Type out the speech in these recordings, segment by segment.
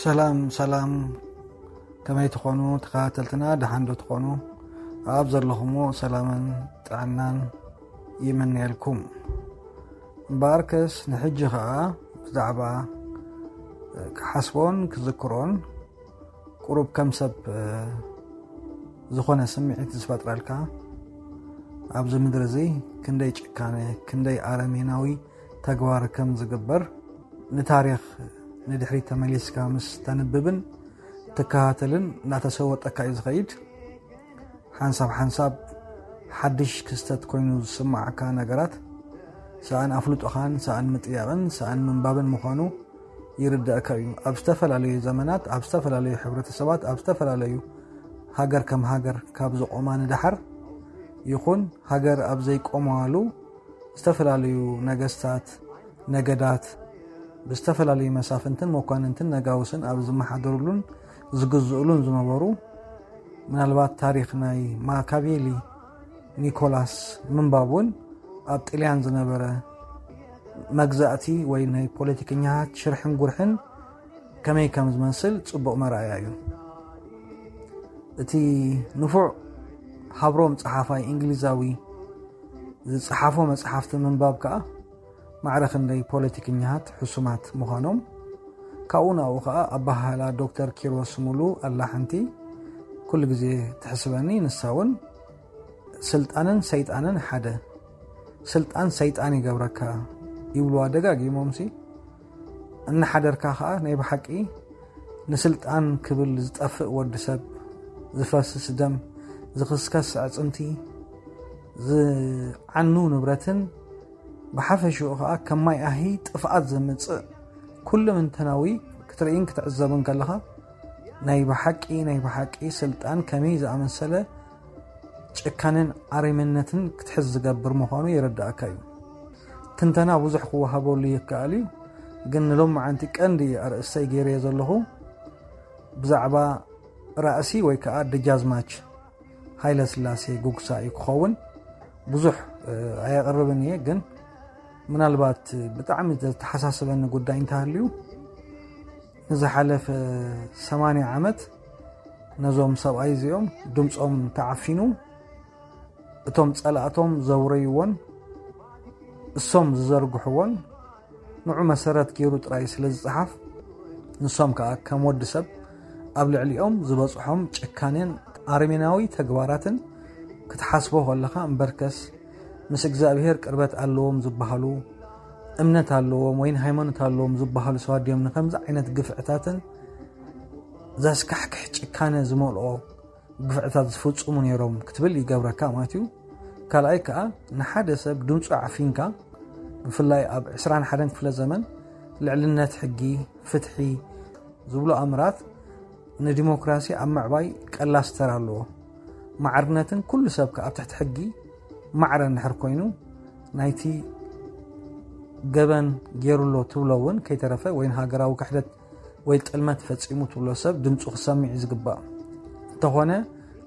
ሰላም ሰላም፣ ከመይ ትኾኑ ተኸታተልትና? ደሓን ዶ ትኾኑ? ኣብ ዘለኹሞ ሰላምን ጥዕናን ይምነየልኩም። እምበኣርከስ ንሕጂ ኸኣ ብዛዕባ ክሓስቦን ክዝክሮን ቁሩብ ከም ሰብ ዝኾነ ስምዒት ዝፈጥረልካ፣ ኣብዚ ምድሪ እዚ ክንደይ ጭካነ፣ ክንደይ ኣረሜናዊ ተግባር ከም ዝግበር ንታሪኽ ንድሕሪት ተመሊስካ ምስ ተንብብን ትከታተልን እናተሰወጠካ እዩ ዝኸይድ። ሓንሳብ ሓንሳብ ሓድሽ ክስተት ኮይኑ ዝስማዓካ ነገራት፣ ሰኣን ኣፍልጦኻን ሰኣን ምጥያቕን ሰኣን ምንባብን ምዃኑ ይርዳእካ እዩ። ኣብ ዝተፈላለዩ ዘመናት፣ ኣብ ዝተፈላለዩ ሕብረተሰባት፣ ኣብ ዝተፈላለዩ ሃገር ከም ሃገር ካብ ዝቆማ ንደሓር ይኹን፣ ሃገር ኣብ ዘይቆማሉ ዝተፈላለዩ ነገስታት፣ ነገዳት ብዝተፈላለዩ መሳፍንትን መኳንንትን ነጋውስን ኣብ ዝመሓደሩሉን ዝግዝኡሉን ዝነበሩ፣ ምናልባት ታሪኽ ናይ ማካቬሊ ኒኮላስ ምንባብ እውን ኣብ ጥልያን ዝነበረ መግዛእቲ ወይ ናይ ፖለቲከኛታት ሽርሕን ጉርሕን ከመይ ከም ዝመስል ጽቡቕ መርኣያ እዩ። እቲ ንፉዕ ሃብሮም ጸሓፋይ እንግሊዛዊ ዝጸሓፎ መጽሓፍቲ ምንባብ ከኣ ማዕረ ክንደይ ፖለቲከኛታት ሕሱማት ምዃኖም፣ ካብኡ ናብኡ ከኣ ኣበሃህላ ዶክተር ኪሮስ ሙሉ ኣላ ሓንቲ ኩሉ ግዜ ትሕስበኒ። ንሳ እውን ስልጣንን ሰይጣንን ሓደ፣ ስልጣን ሰይጣን ይገብረካ ይብልዋ ደጋጊሞምሲ። እናሓደርካ ከኣ ናይ ብሓቂ ንስልጣን ክብል ዝጠፍእ ወዲ ሰብ፣ ዝፈስስ ደም፣ ዝኽስከስ ኣዕጽምቲ፣ ዝዓኑ ንብረትን ብሓፈሽኡ ከኣ ከም ማይ ኣሂ ጥፍኣት ዘምጽእ ኩለመንተናዊ ክትርእይን ክትዕዘብን ከለኻ ናይ ብሓቂ ናይ ብሓቂ ስልጣን ከመይ ዝኣመሰለ ጭካነን ኣረሜንነትን ክትሕዝ ዝገብር ምዃኑ ይርዳእካ እዩ። ትንተና ብዙሕ ክወሃበሉ ይከኣል እዩ፣ ግን ንሎማዓንቲ ቀንዲ ኣርእስተይ ገይረዮ ዘለኹ ብዛዕባ ራእሲ ወይ ከዓ ደጃዝማች ሃይለ ስላሴ ጉግሳ እዩ ክኸውን። ብዙሕ ኣየቕርብን እየ፣ ግን ምናልባት ብጣዕሚ ዘተሓሳስበኒ ጉዳይ እንተሃልዩ፣ ንዝሓለፈ ሰማንያ ዓመት ነዞም ሰብኣይ እዚኦም ድምፆም ተዓፊኑ፣ እቶም ፀላእቶም ዘውረይዎን እሶም ዝዘርግሕዎን ንዑ መሰረት ገይሩ ጥራይ ስለ ዝፀሓፍ፣ ንሶም ከዓ ከም ወዲ ሰብ ኣብ ልዕሊኦም ዝበፅሖም ጭካኔን ኣረሜናዊ ተግባራትን ክትሓስቦ ከለኻ እምበርከስ፣ ምስ እግዚኣብሄር ቅርበት ኣለዎም ዝበሃሉ፣ እምነት ኣለዎም ወይን ሃይማኖት ኣለዎም ዝበሃሉ ሰባት ድዮም ንከምዚ ዓይነት ግፍዕታትን ዘስካሕክሕ ጭካነ ዝመልኦ ግፍዕታት ዝፍጽሙ ነይሮም ክትብል ይገብረካ ማለት እዩ። ካልኣይ ከኣ ንሓደ ሰብ ድምፁ ዓፊንካ፣ ብፍላይ ኣብ ዕስራን ሓደን ክፍለ ዘመን ልዕልነት ሕጊ፣ ፍትሒ ዝብሉ ኣምራት ንዲሞክራሲ ኣብ ምዕባይ ቀላስተር ኣለዎ። ማዕርነትን ኩሉ ሰብ ከኣ ኣብ ትሕቲ ሕጊ ማዕረ እንድሕር ኮይኑ፣ ናይቲ ገበን ገይሩሎ ትብሎ እውን ከይተረፈ ወይን ሃገራዊ ክሕደት ወይ ጥልመት ፈጺሙ ትብሎ ሰብ ድምፁ ክሰምዕ እዩ ዝግባእ። እንተኾነ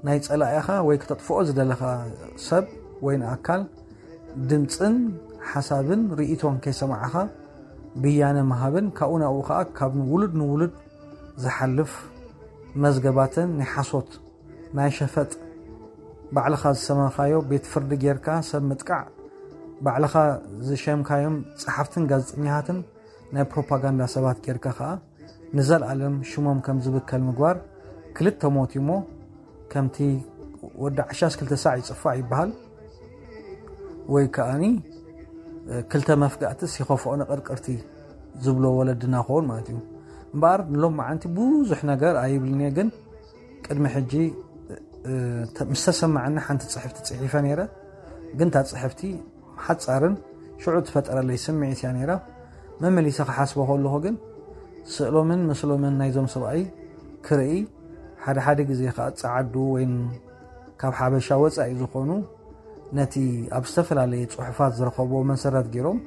ናይ ጸላኢኻ ወይ ክተጥፍኦ ዝደለኻ ሰብ ወይን ኣካል ድምፅን ሓሳብን ርእይቶን ከይሰማዕኻ ብያነ ምሃብን ካብኡ ናብኡ ኸኣ ካብ ውሉድ ንውሉድ ዝሓልፍ መዝገባትን ናይ ሓሶት ናይ ሸፈጥ ባዕልኻ ዝሰመኻዮ ቤት ፍርዲ ጌርካ ሰብ ምጥቃዕ፣ ባዕልኻ ዝሸምካዮም ጸሓፍትን ጋዜጠኛታትን ናይ ፕሮፓጋንዳ ሰባት ጌርካ ኸኣ ንዘልኣለም ሽሞም ከም ዝብከል ምግባር ክልተ ሞት እዩ እሞ ከምቲ ወዲ ዓሻስ ክልተ ሳዕ ይጽፋዕ ይበሃል ወይ ከኣኒ ክልተ መፍጋእትስ ይኸፍኦ ንቕርቅርቲ ዝብሎ ወለድና ክኸውን ማለት እዩ። እምበኣር ንሎም መዓንቲ ብዙሕ ነገር ኣይብልን እየ፣ ግን ቅድሚ ሕጂ ምስ ተሰማዐኒ ሓንቲ ጽሕፍቲ ጽሒፈ ነይረ። ግን እታ ጽሕፍቲ ሓጻርን ሽዑ ትፈጠረለይ ስምዒት እያ ነይራ። መመሊሰ ክሓስቦ ከለኹ ግን ስእሎምን ምስሎምን ናይዞም ሰብኣይ ክርኢ፣ ሓደ ሓደ ግዜ ከኣ ጸዓዱ ወይ ካብ ሓበሻ ወጻኢ ዝኾኑ ነቲ ኣብ ዝተፈላለየ ጽሑፋት ዝረኸብዎ መሰረት ገይሮም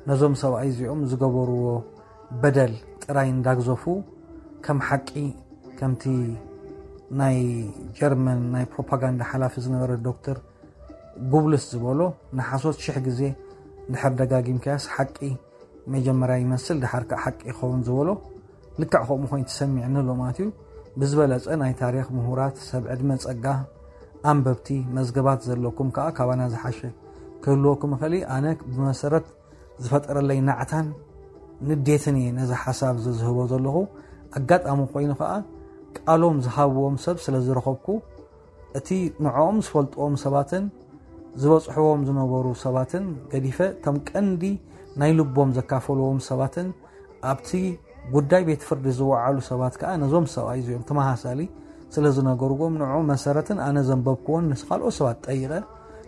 ነዞም ሰብኣይ እዚኦም ዝገበርዎ በደል ጥራይ እንዳግዘፉ ከም ሓቂ፣ ከምቲ ናይ ጀርመን ናይ ፕሮፓጋንዳ ሓላፊ ዝነበረ ዶክተር ጉብልስ ዝበሎ፣ ንሓሶት ሽሕ ግዜ እንድሕር ደጋጊምካያስ ሓቂ መጀመርያ ይመስል፣ ደሓር ከኣ ሓቂ ይኸውን ዝበሎ፣ ልክዕ ከምኡ ኮይኑ ተሰሚዕኒ ኣሎ ማለት እዩ። ብዝበለጸ ናይ ታሪኽ ምሁራት፣ ሰብ ዕድመ ጸጋ፣ ኣንበብቲ፣ መዝገባት ዘለኩም ከኣ ካባና ዝሓሸ ክህልወኩም ይኽእል እዩ። ኣነ ብመሰረት ዝፈጠረለይ ናዕታን ንዴትን እየ ነዚ ሓሳብ እዚ ዝህቦ ዘለኹ። ኣጋጣሚ ኮይኑ ከኣ ቃሎም ዝሃብዎም ሰብ ስለ ዝረኸብኩ፣ እቲ ንዕኦም ዝፈልጥዎም ሰባትን ዝበጽሕዎም ዝነበሩ ሰባትን ገዲፈ፣ እቶም ቀንዲ ናይ ልቦም ዘካፈልዎም ሰባትን ኣብቲ ጉዳይ ቤት ፍርዲ ዝወዓሉ ሰባት ከኣ ነዞም ሰብኣይ እዚኦም ተመሳሳሊ ስለ ዝነገርዎም፣ ንዕኡ መሰረትን ኣነ ዘንበብክዎን ምስ ካልኦት ሰባት ጠይቐ፣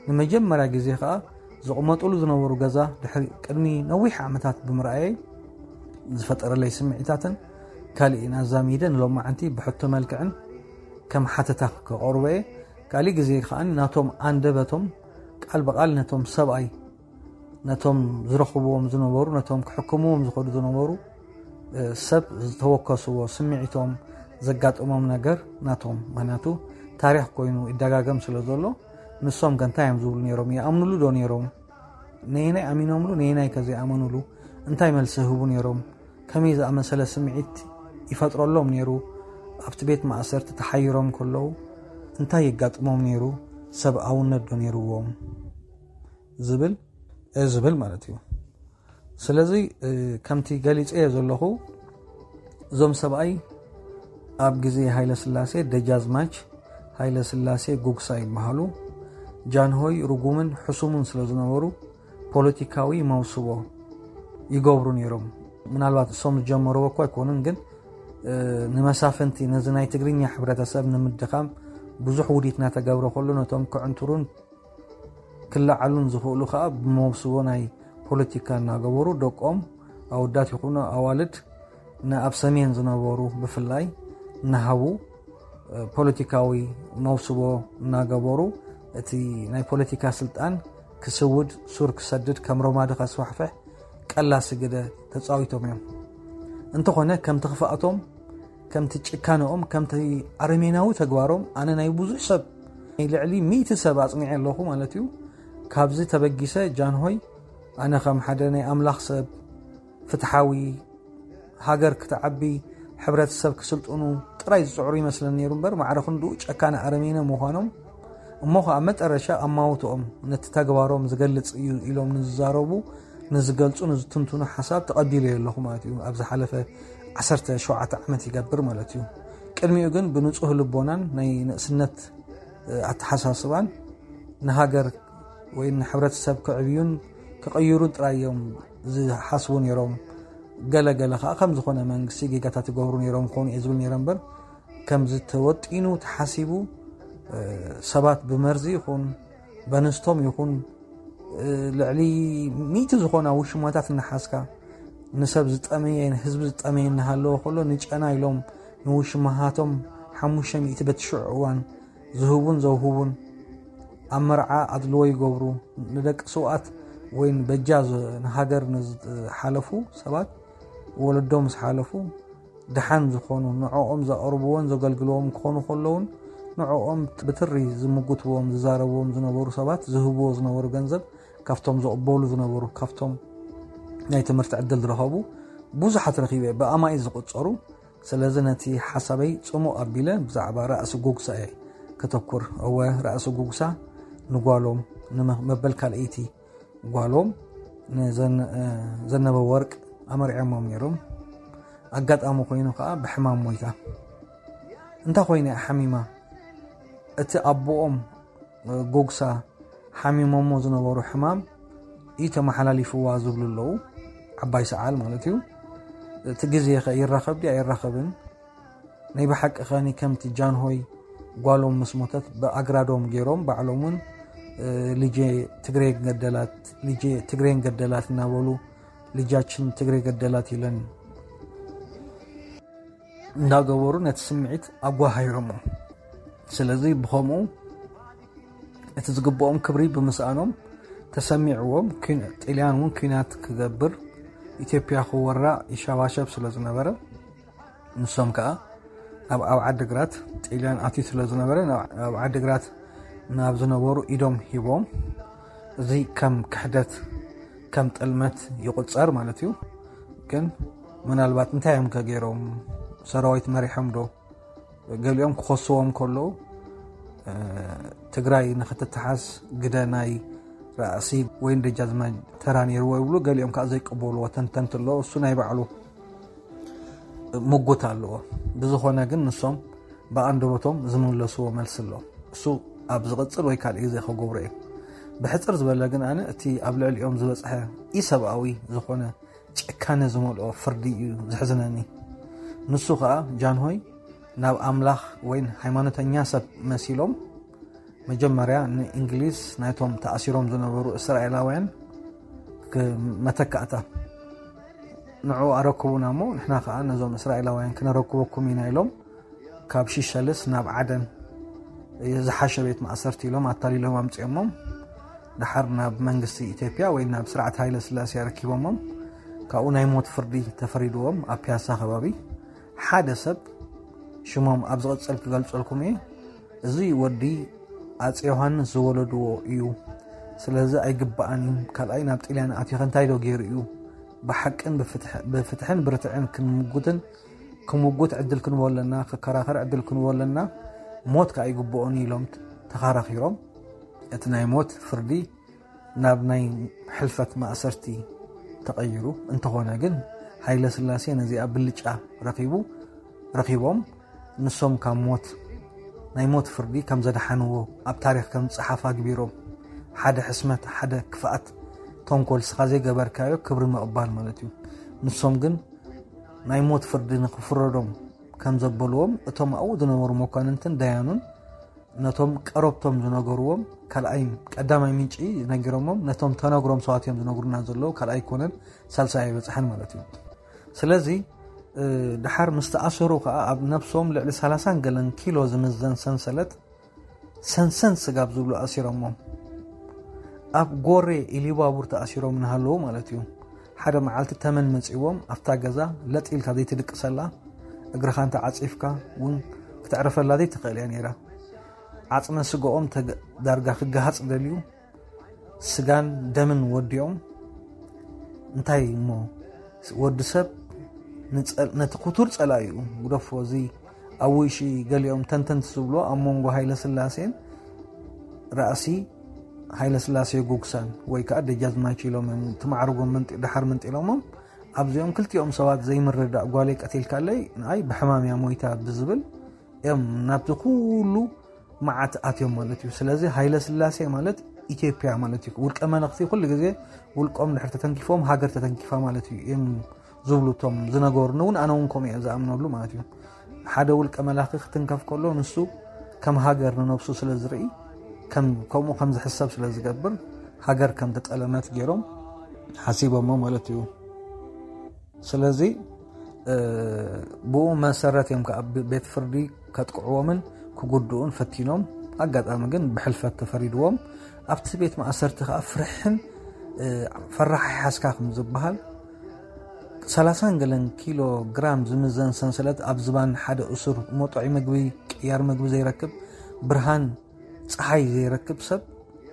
ንመጀመርያ ግዜ ከኣ ዝቕመጥሉ ዝነበሩ ገዛ ድሕሪ ቅድሚ ነዊሕ ዓመታት ብምርኣየይ ዝፈጠረለይ ስምዒታትን ካልእን ኣዛሚደ ንሎማዓንቲ ብሕቶ መልክዕን ከም ሓተታ ክቐርቦ እየ። ካልእ ግዜ ከኣ ናቶም ኣንደበቶም ቃል ብቃል ነቶም ሰብኣይ፣ ነቶም ዝረኽብዎም ዝነበሩ፣ ነቶም ክሕክምዎም ዝኸዱ ዝነበሩ፣ እ፣ ሰብ ዝተወከስዎ ስምዒቶም ዘጋጠሞም ነገር ናቶም። ምኽንያቱ ታሪኽ ኮይኑ ይደጋገም ስለ ዘሎ፣ ንሶም ከ እንታይ እዮም ዝብሉ ነይሮም? ይኣምኑሉ ዶ ነይሮም? ነየናይ ኣሚኖምሉ፣ ነየናይ ከ ዘይኣመኑሉ? እንታይ መልሲ ይህቡ ነይሮም? ከመይ ዝኣመሰለ ስምዒት ይፈጥረሎም ነይሩ? ኣብቲ ቤት ማእሰርቲ ተሓይሮም ከለዉ እንታይ የጋጥሞም ነይሩ? ሰብኣውነት ዶ ነይርዎም? ዝብል፣ እ፣ ዝብል ማለት እዩ። ስለዚ፣ እ፣ ከምቲ ገሊጸዮ ዘለኹ፣ እዞም ሰብኣይ ኣብ ግዜ ሃይለ ስላሴ ደጃዝማች ሃይለ ስላሴ ጉግሳ ይበሃሉ። ጃንሆይ ርጉምን ሕሱሙን ስለ ዝነበሩ ፖለቲካዊ መውስቦ ይገብሩ ነይሮም። ምናልባት እሶም ዝጀመርዎ እኮ ኣይኮኑን፣ ግን፣ እ፣ ንመሳፍንቲ ነዚ ናይ ትግርኛ ሕብረተሰብ ንምድኻም ብዙሕ ውዲት እናተገብረ ከሎ ነቶም ክዕንትሩን ክለዓሉን ዝኽእሉ ከኣ ብመውስቦ ናይ ፖለቲካ እናገበሩ ደቆም ኣወዳት ይኹኑ ኣዋልድ ንኣብ ሰሜን ዝነበሩ ብፍላይ እናሃቡ፣ እ፣ ፖለቲካዊ መውስቦ እናገበሩ እቲ ናይ ፖለቲካ ስልጣን ክስውድ ሱር ክሰድድ ከም ረማዲ ከስፋሕፍሕ ቀላሲ ግደ ተጻዊቶም እዮም። እንተኾነ ከምቲ ክፍኣቶም፣ ከምቲ ጭካነኦም፣ ከምቲ ኣረሜናዊ ተግባሮም ኣነ ናይ ብዙሕ ሰብ ናይ ልዕሊ ሚእቲ ሰብ ኣጽኒዐ ኣለኹ ማለት እዩ። ካብዚ ተበጊሰ ጃንሆይ ኣነ ከም ሓደ ናይ ኣምላኽ ሰብ ፍትሓዊ ሃገር ክትዓቢ፣ ሕብረተሰብ ክስልጥኑ ጥራይ ዝጽዕሩ ይመስለኒ ነይሩ እምበር፣ ማዕረ ክንድኡ ጨካነ ኣረሜነ ምዃኖም፣ እሞ ኸኣ መጠረሻ ኣማውትኦም ነቲ ተግባሮም ዝገልጽ እዩ ኢሎም ንዝዛረቡ፣ ንዝገልጹ፣ ንዝትንትኑ ሓሳብ ተቐቢለዮ ኣለኹ ማለት እዩ። ኣብ ዝሓለፈ ዓሰርተ ሸውዓተ ዓመት ይገብር ማለት እዩ። ቅድሚኡ ግን ብንጹህ ልቦናን ናይ ንእስነት፣ እ፣ ኣተሓሳስባን ንሃገር ወይ ንሕብረተሰብ ክዕብዩን ክቕይሩን ጥራይ እዮም ዝሓስቡ ነይሮም። ገለ ገለ ኸኣ ከም ዝኾነ መንግስቲ ጌጋታት ይገብሩ ነይሮም ክኾኑ እየ ዝብል ነይረ እምበር፣ ከምዚ ተወጢኑ ተሓሲቡ፣ እ፣ ሰባት ብመርዚ ይኹን በንስቶም ይኹን፣ እ፣ ልዕሊ ሚእቲ ዝኾና ውሽማታት እናሓዝካ ንሰብ ዝጠመየ፣ ንህዝቢ ዝጠመየ እናሃለወ ከሎ ንጨና ኢሎም ንውሽማሃቶም ሓሙሽተ ሚእቲ በቲ ሽዑ እዋን ዝህቡን ዘውህቡን፣ ኣብ መርዓ ኣድልዎ ይገብሩ። ንደቂ ስውኣት ወይ በጃ ዝ-፣ ንሃገር ንዝሓለፉ ሰባት፣ ወለዶም ምስ ሓለፉ ደሓን ዝኾኑ፣ ንዕኦም ዘቕርብዎን ዘገልግልዎም ክኾኑ ከለውን፣ ንዕኦም ብትሪ ዝምጉትዎም፣ ዝዛረብዎም ዝነበሩ ሰባት ዝህብዎ ዝነበሩ ገንዘብ፣ ካብቶም ዝቕበሉ ዝነበሩ፣ ካብቶም ናይ ትምህርቲ ዕድል ዝረኸቡ ብዙሓት ረኺበ፣ ብኣማኢት ዝቑጸሩ። ስለዚ ነቲ ሓሳበይ ጽሙቕ ኣቢለ ብዛዕባ ራእሲ ጉግሳ እየ ከተኩር። እወ፣ ራእሲ ጉግሳ ንጓሎም፣ ንመ-፣ መበል ካልኣይቲ ጓሎም ንዘን-፣ እ፣ ዘነበ ወርቅ ኣመርዕዮሞም ነይሮም። ኣጋጣሚ ኮይኑ ከኣ ብሕማም ሞይታ። እንታይ ኮይና እያ ሓሚማ? እቲ ኣቦኦም፣ እ፣ ጉግሳ ሓሚሞሞ ዝነበሩ ሕማም እዩ ተመሓላሊፍዋ ዝብሉ ኣለዉ። ዓባይ ሰዓል ማለት እዩ። እቲ ግዜ ኸ ይራኸብ ድዩ ኣይራኸብን? ናይ ብሓቂ ኸኒ ከምቲ ጃንሆይ ጓሎም ምስ ሞተት ብኣግራዶም ገይሮም ባዕሎም እውን፣ እ፣ ልጄ ትግሬ ገደላት፣ ልጄ ትግሬን ገደላት እናበሉ ልጃችን ትግሬ ገደላት ኢለን እንዳገበሩ ነቲ ስምዒት ኣጓሃሂሮሞ። ስለዚ ብኸምኡ እቲ ዝግብኦም ክብሪ ብምስኣኖም ተሰሚዕዎም፣ ኩን-፣ ጥልያን እውን ኲናት ክገብር ኢትዮጵያ ክወራ ይሸባሸብ ስለ ዝነበረ፣ ንሶም ከኣ ኣብ፣ ኣብ ዓዲግራት ጥልያን ኣትዩ ስለ ዝነበረ፣ ናብ፣ ኣብ ዓዲግራት ናብ ዝነበሩ ኢዶም ሂቦም። እዚ ከም ክሕደት፣ ከም ጥልመት ይቑጸር ማለት እዩ። ግን ምናልባት እንታይ እዮም ከገይሮም? ሰራዊት መሪሖም ዶ? ገሊኦም ክኸስዎም ከለዉ ትግራይ ንክትተሓዝ ግደ ናይ ራእሲ ወይን ደጃዝማች ተራ ነይርዎ ይብሉ። ገሊኦም ከዓ ዘይቀበልዎ ተንተንቲ ኣለዎ። እሱ ናይ ባዕሉ ምጉት ኣለዎ። ብዝኾነ ግን ንሶም ብኣንደበቶም ዝመለስዎ መልሲ ኣሎ። እሱ ኣብ ዝቕፅል ወይ ካልእ ግዜ ክገብሮ እየ። ብሕፅር ዝበለ ግን ኣነ እቲ ኣብ ልዕሊኦም ዝበፅሐ ኢሰብኣዊ ዝኾነ ጭካነ ዝመልኦ ፍርዲ እዩ ዘሕዝነኒ። ንሱ ከዓ ጃንሆይ ናብ ኣምላኽ ወይን ሃይማኖተኛ ሰብ መሲሎም መጀመርያ ንእንግሊዝ ናይቶም ተኣሲሮም ዝነበሩ እስራኤላውያን መተካእታ ንዑ ኣረክቡና እሞ ንሕና ከዓ ነዞም እስራኤላውያን ክነረክበኩም ኢና ኢሎም ካብ ሽሸልስ ናብ ዓደን ዝሓሸ ቤት ማእሰርቲ ኢሎም ኣታሊሎም ኣምፅኦሞም። ድሓር ናብ መንግስቲ ኢትዮጵያ ወይ ናብ ስርዓት ሃይለ ስላሴ ኣረኪቦሞም። ካብኡ ናይ ሞት ፍርዲ ተፈሪድዎም ኣብ ፒያሳ ከባቢ ሓደ ሰብ ሽሞም ኣብ ዝቕፅል ክገልፀልኩም እየ። እዚ ወዲ ኣፅ ዮሃንስ ዝወለድዎ እዩ፣ ስለዚ ኣይግባኣን እዩ። ካልኣይ ናብ ጥልያን ኣትዩ እንታይ ዶ ገይሩ እዩ? ብሓቅን ብፍትሕን ብርትዕን ክንምጉትን ክምጉት ዕድል ክንቦ ኣለና፣ ክከራኸር ዕድል ክንቦ ኣለና። ሞት ከዓ ይግብኦን ኢሎም ተኻራኺሮም። እቲ ናይ ሞት ፍርዲ ናብ ናይ ሕልፈት ማእሰርቲ ተቐይሩ። እንተኾነ ግን ሃይለ ስላሴ ነዚኣ ብልጫ ረኺቡ ረኺቦም ንሶም ካብ ሞት ናይ ሞት ፍርዲ ከም ዘድሓንዎ ኣብ ታሪኽ ከም ዝፀሓፍ ኣግቢሮም ሓደ ሕስመት ሓደ ክፍኣት ተንኮል ስኻ ዘይገበርካዮ ክብሪ ምቕባል ማለት እዩ። ንሶም ግን ናይ ሞት ፍርዲ ንክፍረዶም ከም ዘበልዎም እቶም ኣብኡ ዝነበሩ መኳንንትን ደያኑን ነቶም ቀረብቶም ዝነገርዎም ካልኣይ ቀዳማይ ምንጪ ነጊሮሞም ነቶም ተነግሮም ሰባት እዮም ዝነግሩና ዘለዉ። ካልኣይ ኮነን ሳልሳይ ኣይበፅሐን ማለት እዩ። ስለዚ ድሓር ምስ ተኣሰሩ ከዓ ኣብ ነብሶም ልዕሊ ሰላሳን ገለን ኪሎ ዝምዘን ሰንሰለት ሰንሰን ስጋብ ዝብሉ ኣሲሮሞም ኣብ ጎሬ ኢሊባቡር ተኣሲሮም እናሃለዉ ማለት እዩ። ሓደ መዓልቲ ተመን መፂዎም ኣብታ ገዛ ለጥ ኢልካ ዘይትድቅሰላ እግርኻ እንተ ዓፂፍካ እውን ክተዕርፈላ ዘይትኽእል እያ ነይራ። ዓፅመ ስጋኦም ዳርጋ ክገሃፅ ደልዩ ስጋን ደምን ወዲኦም እንታይ እሞ ወዲ ሰብ ነቲ ክቱር ፀላኢኡ ግደፎ። እዚ ኣብ ውይሺ ገሊኦም ተንተንቲ ዝብሎ ኣብ መንጎ ሃይለ ስላሴን ራእሲ ሃይለ ስላሴ ጉግሳን ወይ ከዓ ደጃዝማች ኢሎም እዮም እቲ ማዕርጎም ድሓር መንጢሎሞም ኣብዚኦም ክልቲኦም ሰባት ዘይምርዳእ ጓለይ ቀቲልካለይ ንኣይ ብሕማም እያ ሞይታ ብዝብል እዮም ናብቲ ኩሉ መዓት ኣትዮም ማለት እዩ። ስለዚ ሃይለ ስላሴ ማለት ኢትዮጵያ ማለት እዩ። ውልቀ መለኽቲ ኩሉ ግዜ ውልቆም ድሕር ተተንኪፎም ሃገር ተተንኪፋ ማለት እዩ እዮም ዝብሉ እቶም ዝነገሩኒ እውን ኣነ እውን ከምኡ እየ ዝኣምነሉ ማለት እዩ። ሓደ ውልቀ መላኺ ክትንከፍ ከሎ ንሱ ከም ሃገር ንነብሱ ስለ ዝርኢ ከምኡ ከም ዝሕሰብ ስለ ዝገብር ሃገር ከም ተጠለመት ገይሮም ሓሲቦሞ ማለት እዩ። ስለዚ ብኡ መሰረት እዮም ከዓ ቤት ፍርዲ ከጥቅዕዎምን ክጉድኡን ፈቲኖም። ኣጋጣሚ ግን ብሕልፈት ተፈሪድዎም። ኣብቲ ቤት ማእሰርቲ ከዓ ፍርሕን ፈራሕ ሓስካ ከም ዝበሃል ሰላሳን ገለን ኪሎ ግራም ዝምዘን ሰንሰለት ኣብ ዝባን ሓደ እሱር መጦዒ ምግቢ ቅያር ምግቢ ዘይረክብ ብርሃን ፀሓይ ዘይረክብ ሰብ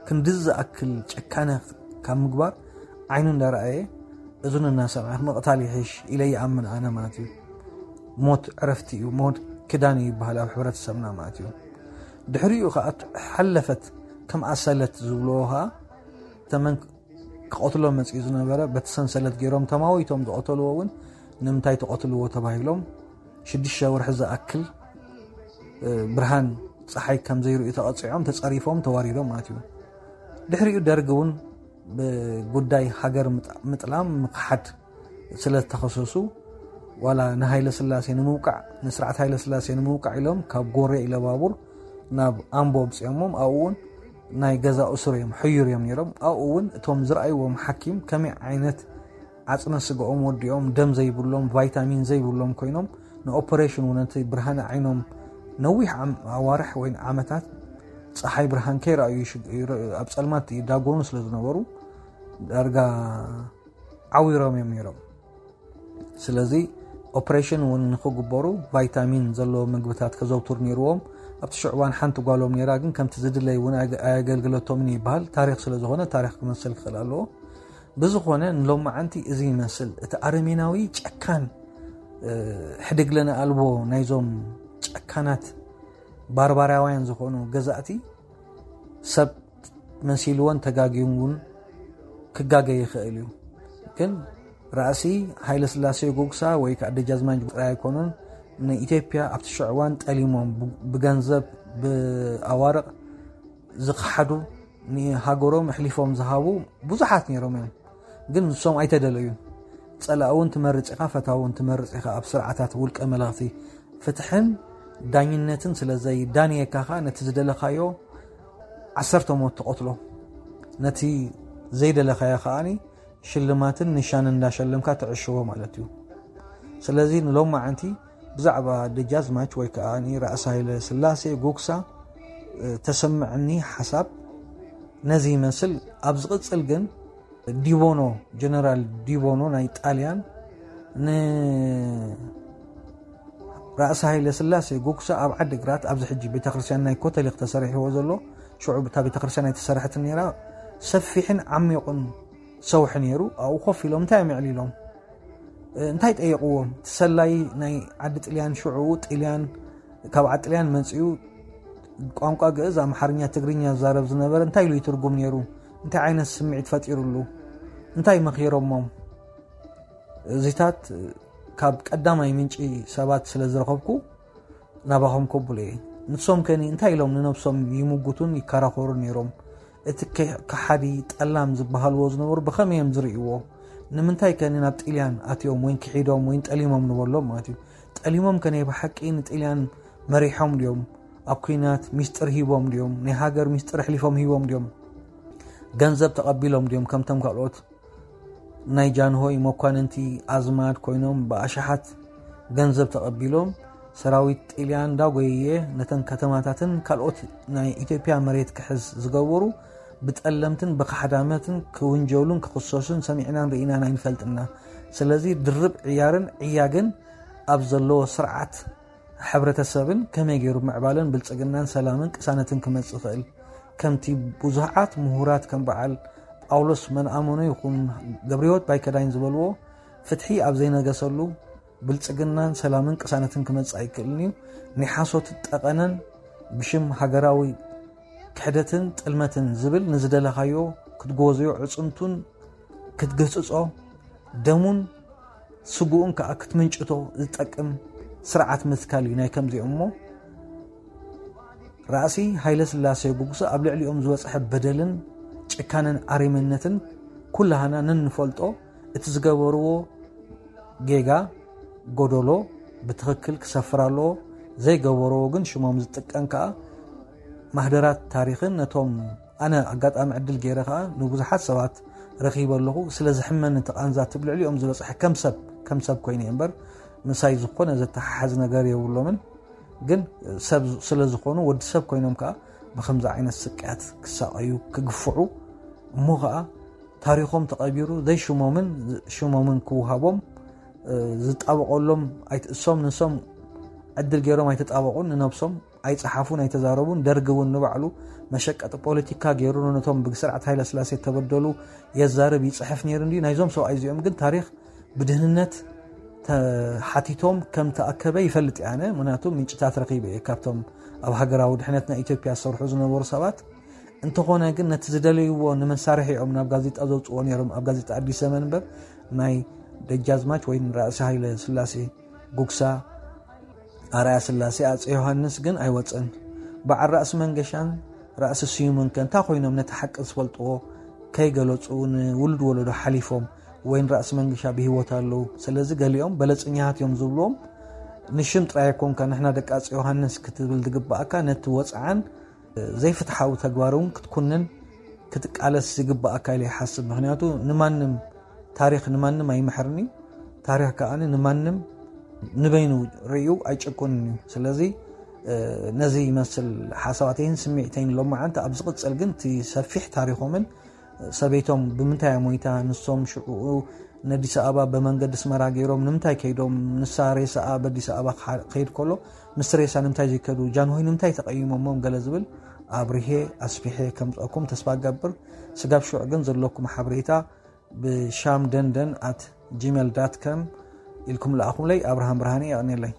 ክንድዚ ዝኣክል ጨካነ ካብ ምግባር ዓይኑ እንዳረኣየ እዝኑ እናሰምዐ ምቕታል ይሕሽ ኢለ ይኣምን ኣነ ማለት እዩ። ሞት ዕረፍቲ እዩ፣ ሞት ክዳን እዩ ይበሃል ኣብ ሕብረተሰብና ማለት እዩ። ድሕሪኡ ከዓ ሓለፈት ከም ኣሰለት ዝብልዎ ከዓ ተመን ክቐትሎ መፅኡ ዝነበረ በቲ ሰንሰለት ገይሮም ተማዊቶም ዝቐተልዎ እውን ንምንታይ ተቐትልዎ ተባሂሎም ሽዱሽተ ወርሒ ዝኣክል ብርሃን ፀሓይ ከም ዘይርእዩ ተቐፂዖም ተፀሪፎም ተዋሪዶም ማለት እዩ። ድሕሪኡ ደርግ እውን ብጉዳይ ሃገር ምጥላም ምክሓድ ስለ ዝተኸሰሱ ዋላ ንሃይለ ስላሴ ንምውቃዕ ንስርዓት ሃይለ ስላሴ ንምውቃዕ ኢሎም ካብ ጎሬ ኢለባቡር ናብ ኣምቦ ኣምፅኦሞም ኣብኡ እውን ናይ ገዛ እሱር እዮም ሕዩር እዮም ነይሮም። ኣብኡ እውን እቶም ዝረኣይዎም ሓኪም ከመይ ዓይነት ዓፅመ ስጋኦም ወዲኦም ደም ዘይብሎም ቫይታሚን ዘይብሎም ኮይኖም ንኦፐሬሽን እውን ነቲ ብርሃነ ዓይኖም ነዊሕ ኣዋርሕ ወይ ዓመታት ፀሓይ ብርሃን ከይረኣዩ ኣብ ፀልማት ይዳጎኑ ስለ ዝነበሩ ዳርጋ ዓዊሮም እዮም ነይሮም። ስለዚ ኦፕሬሽን እውን ንክግበሩ ቫይታሚን ዘለዎ ምግብታት ከዘውትሩ ነይርዎም። ኣብቲ ሽዕዋን ሓንቲ ጓሎም ነይራ ግን ከምቲ ዝድለይ እውን ኣየገልግለቶምን ይበሃል። ታሪክ ስለዝኮነ ታሪክ ክመስል ክኽእል ኣለዎ። ብዝኾነ ንሎማዓንቲ እዚ ይመስል እቲ ኣረሜናዊ ጨካን ሕድግ ለነ ኣልቦ ናይዞም ጨካናት ባርባራውያን ዝኾኑ ገዛእቲ ሰብ መሲልዎን ተጋግዩን እውን ክጋገ ይኽእል እዩ። ግን ራእሲ ሃይለ ስላሴ ጉግሳ ወይ ከዓ ደጃዝማች ጥራይ ኣይኮኑን። ንኢትዮጵያ ኣብቲ ሽዕዋን ጠሊሞም ብገንዘብ ብኣዋርቕ ዝኸሓዱ ንሃገሮም ኣሕሊፎም ዝሃቡ ብዙሓት ነይሮም እዮም። ግን ንሶም ኣይተደለዩን። ጸላእ እውን ትመርጽ ኢኻ፣ ፈታዊ እውን ትመርጽ ኢኻ። ኣብ ስርዓታት ውልቀ መለኽቲ ፍትሕን ዳኝነትን ስለ ዘይዳንየካ ኸኣ ነቲ ዝደለኻዮ ዓሰርተ ሞት ትቐትሎ፣ ነቲ ዘይደለኻዮ ከኣ ሽልማትን ንሻን እንዳሸለምካ ትዕሽዎ ማለት እዩ። ስለዚ ንሎማዓንቲ ብዛዕባ ደጃዝማች ወይ ከኣ ራእሲ ሃይለ ስላሴ ጉግሳ ተሰምዐኒ ሓሳብ ነዚ ይመስል። ኣብ ዝቕጽል ግን ዲቦኖ፣ ጀነራል ዲቦኖ ናይ ጣልያን ንራእሲ ሃይለ ስላሴ ጉግሳ ኣብ ዓዲግራት ኣብዚ ሕጂ ቤተክርስትያን ናይ ኮተሊክ ተሰሪሕዎ ዘሎ፣ ሽዑ እታ ቤተክርስትያን ኣይተሰርሐትን ነይራ፣ ሰፊሕን ዓሚቑን ሰውሒ ነይሩ። ኣብኡ ኮፍ ኢሎም እንታይ እዮም የዕሊሎም? እንታይ ጠየቕዎም? እቲ ሰላይ ናይ ዓዲ ጥልያን ሽዑ ጥልያን ካብ ዓዲ ጥልያን መጺኡ ቋንቋ ግእዝ፣ ኣምሓርኛ፣ ትግርኛ ዝዛረብ ዝነበረ እንታይ ኢሉ ይትርጉም ነይሩ? እንታይ ዓይነት ስምዒት ፈጢሩሉ? እንታይ መኺሮሞም? እዚታት ካብ ቀዳማይ ምንጪ ሰባት ስለ ዝረኸብኩ ናባኹም ከብሎ እየ። ንሶም ከኒ እንታይ ኢሎም ንነብሶም ይምጉቱን ይከራኸሩ ነይሮም? እቲ ከ-፣ ከሓዲ ጠላም ዝበሃልዎ ዝነበሩ ብኸመይ እዮም ዝርእይዎ? ንምንታይ ከኒ ናብ ጥልያን ኣትዮም ወይን ክሒዶም ወይን ጠሊሞም ንበሎም ማለት እዩ። ጠሊሞም ከ ናይ ብሓቂ ንጥልያን መሪሖም ድዮም? ኣብ ኲናት ሚስጥር ሂቦም ድዮም? ናይ ሃገር ሚስጥር ኣሕሊፎም ሂቦም ድዮም? ገንዘብ ተቐቢሎም ድዮም ከምቶም ካልኦት ናይ ጃንሆይ መኳንንቲ ኣዝማድ ኮይኖም ብኣሽሓት ገንዘብ ተቐቢሎም ሰራዊት ጥልያን እንዳጎየየ ነተን ከተማታትን ካልኦት ናይ ኢትዮጵያ መሬት ክሕዝ ዝገበሩ ብጠለምትን ብካሕዳመትን ክውንጀሉን ክኽሰሱን ሰሚዕናን ርኢናን ኣይንፈልጥና። ስለዚ ድርብ ዕያርን ዕያግን ኣብ ዘለዎ ስርዓት ሕብረተሰብን ከመይ ገይሩ ምዕባለን ብልጽግናን ሰላምን ቅሳነትን ክመጽእ ይኽእል? ከምቲ ብዙሓት ምሁራት ከም በዓል ጳውሎስ መንኣመኖ ይኹን ገብረህይወት ባይከዳኝ ዝበልዎ፣ ፍትሒ ኣብ ዘይነገሰሉ ብልጽግናን ሰላምን ቅሳነትን ክመጽእ ኣይክእልን እዩ። ናይ ሓሶት ጠቐነን ብሽም ሃገራዊ ክሕደትን ጥልመትን ዝብል ንዝደለኻዮ ክትጎዝዮ ዕጽምቱን ክትግህጽጾ ደሙን ስግኡን ከኣ ክትምንጭቶ ዝጠቅም ስርዓት ምትካል እዩ ናይ ከምዚኦም። እሞ ራእሲ ሃይለ ስላሴ ጉግሳ ኣብ ልዕሊኦም ዝበጽሐ በደልን ጭካነን ኣሪመነትን ኩላህና ነንፈልጦ፣ እቲ ዝገበርዎ ጌጋ ጎደሎ ብትኽክል ክሰፍር ኣለዎ። ዘይገበርዎ ግን ሽሞም ዝጥቀም ከኣ ማህደራት ታሪኽን ነቶም ኣነ ኣጋጣሚ ዕድል ገይረ ከኣ ንብዙሓት ሰባት ረኺበ ኣለኹ። ስለ ዝሕመኒ እቲ ቃንዛ እቲ ብልዕሊኦም ዝበጽሐ ከም ሰብ፣ ከም ሰብ ኮይነ እምበር ምሳይ ዝኾነ ዘተሓሓዝ ነገር የብሎምን። ግን ሰብ ስለ ዝኾኑ ወዲ ሰብ ኮይኖም ከኣ ብኸምዚ ዓይነት ስቅያት ክሳቐዩ፣ ክግፍዑ፣ እሞ ከኣ ታሪኾም ተቐቢሩ ዘይሽሞምን ሽሞምን ክውሃቦም፣ እ፣ ዝጣበቐሎም ኣይት-፣ እሶም ንሶም ዕድል ገይሮም ኣይተጣበቑን፣ ንነብሶም ኣይጸሓፉን ኣይተዛረቡን። ደርጊ እውን ንባዕሉ መሸቀጢ ፖለቲካ ገይሩ ነቶም ብስርዓት ሃይለ ስላሴ ተበደሉ የዛርብ ይጽሕፍ ነይሩ እንድዩ። ናይዞም ሰብኣይ እዚኦም ግን ታሪኽ ብድህንነት ተሓቲቶም ከም ተኣከበ ይፈልጥ እየ ኣነ። ምክንያቱ ምንጭታት ረኺበ እየ ካብቶም ኣብ ሃገራዊ ድሕነት ናይ ኢትዮጵያ ዝሰርሑ ዝነበሩ ሰባት። እንተኾነ ግን ነቲ ዝደለይዎ ንመሳርሒኦም ናብ ጋዜጣ ዘውጽዎ ነይሮም፣ ኣብ ጋዜጣ ኣዲስ ዘመን እምበር ናይ ደጃዝማች ወይ ንራእሲ ሃይለ ስላሴ ጉግሳ፣ ኣርኣያ ስላሴ፣ ኣጼ ዮሃንስ ግን ኣይወጸን። በዓል ራእሲ መንገሻን ራእሲ ስዩምን ከ እንታይ ኮይኖም ነቲ ሓቂ ዝፈልጥዎ ከይገለጹ ንውሉድ ወለዶ ሓሊፎም? ወይን ራእሲ መንገሻ ብህይወት ኣለዉ። ስለዚ ገሊኦም በለጸኛታት እዮም ዝብልዎም ንሽም ጥራይ ኣይኮንካ፣ ንሕና ደቂ ኣጼ ዮሃንስ ክትብል ዝግባኣካ ነቲ ወጽዓን ዘይፍትሓዊ ተግባር እውን ክትኩንን ክትቃለስ ዝግባኣካ ኢለ ይሓስብ። ምክንያቱ ንማንም ታሪኽ ንማንም ኣይምሕርን እዩ። ታሪኽ ከኣ ንማንም ንበይኑ ርእዩ ኣይጭቁንን እዩ። ስለዚ፣ እ፣ ነዚ ይመስል ሓሳባተይን ስምዒተይን ሎማዓንቲ። ኣብ ዝቕጽል ግን እቲ ሰፊሕ ታሪኾምን ሰበይቶም ብምንታይ እያ ሞይታ፣ ንሶም ሽዑኡ ንኣዲስ ኣበባ ብመንገዲ ኣስመራ ገይሮም ንምንታይ ከይዶም፣ ንሳ ሬሳኣ በኣዲስ ኣበባ ክሓ-፣ ክኸይድ ከሎ፣ ምስ ሬሳ ንምንታይ ዘይከዱ፣ ጃንሆይ ንምንታይ ተቐይሞሞም ገለ ዝብል ኣብሪሄ ኣስፊሐ ከምጽኣኩም ተስፋ እገብር። ስጋብ ሽዑ ግን ዘለኩም ሓበሬታ ብሻም ደንደን ኣት ጂሜል ዳት ኮም ኢልኩም ለኣኹምለይ ኣብርሃም ብርሃነ የቐንየለይ።